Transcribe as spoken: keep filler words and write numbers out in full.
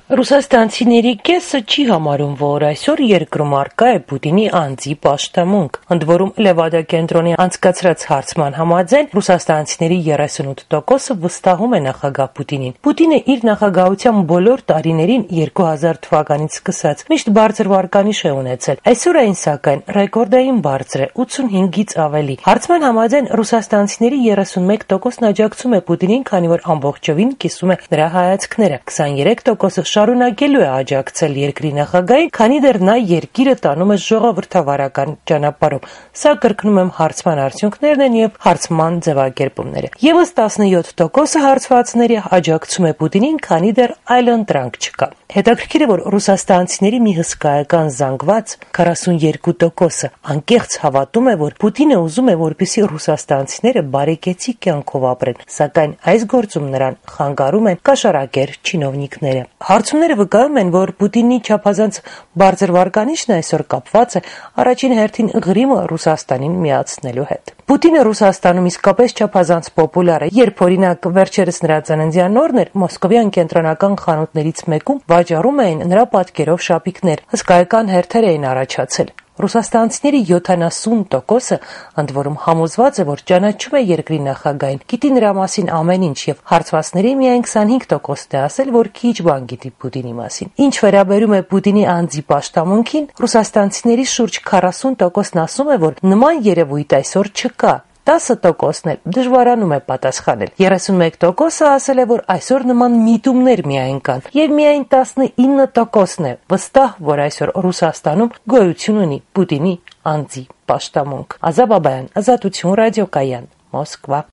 Ռուսաստանցիների կեսը չի համարում, որ այսօր երկրում առկա է Պուտինի անձի պաշտամունք։ Ընդ որում Լևադա կենտրոնի անցկացրած հարցման համաձայն ռուսաստանցիների երեսունութ տոկոսը վստահում է նախագահ Պուտինին։ Պուտինը իր նախագահության բոլոր տարիներին երկու հազար թվականից սկսած միշտ բարձր վարկանիշ է ունեցել։ Այսօր այն սակայն ռեկորդային բարձր է՝ ութսունհինգից ավելի։ Հարցման համաձայն ռուսաստանցիների երեսունմեկ տոկոսն աջակցում է Պուտինին, քանի որ ամբողջովին կիսում է նրա հայացքները։ քսաներեք տոկոսը շարունակելու է աջակցել երկրի նախագահին, քանի դեռ նա երկիրը տանում է ժողովրդավարական ճանապարհով։ Սա կրկնում եմ հարցման արդյունքներն են եւ հարցման ձևակերպումները։ Եվս տասնյոթ տոկոսը հարցվածների աջակցում է Պուտինին, քանի դեռ այլընտրանք չկա։ Հետաքրքիր է, որ ռուսաստանցիների մի հսկայական զանգված քառասունյոթ տոկոսը անկեղծ հավատում է, որ Պուտինը ուզում է, որպեսզի ռուսաստանցիները բարեկեցիկ կյանքով ապրեն, սակայն այս գործում նրան խանգարում են կաշառակեր չինովնիկները։ Հարցումները վկայում են, որ Պուտինի չափազանց բարձր վարկանիշն այսօր կապված է առաջին հերթին Ղրիմը Ռուսաստանին միացնելու հետ։ Պուտինը Ռուսաստանում իսկապես չափազանց պոպուլյար է, երբ օրինակ վերջերս նրա ծննդյան օրն էր, մոսկովյան կենտրոնական խանութներից մեկում վաճառում էին նրա պատկերով շապիկներ, հսկայական հերթեր էին առաջացել։ Ռուսաստանցիների յոթանասուն տոկոսը ընդ որում համոզված է, որ ճանաչում է երկրի նախագահին, գիտի նրա մասին ամեն ինչ եւ հարցվածների միայն քսանհինգ տոկոսն է ասել, որ քիչ բան գիտի Պուտինի մասին։ Ինչ վերաբերում է Պուտինի անձի պաշտամունքին, ռուսաստանցիների շուրջ քառասուն տոկոսն ասում է, որ նման երևույթ այսօր չկա։ տասը տոկոսն էլ դժվարանում է պատասխանել։ երեսունմեկ տոկոսը ասել է, որ այսօր նման միտումներ միայն կան, եւ միայն տասնինը տոկոսն է վստահ, որ այսօր Ռուսաստանում գոյություն ունի Պուտինի անձի պաշտամունք։ Ազա Բաբայան, Ազատություն ռադիոկայան, Մոսկվա։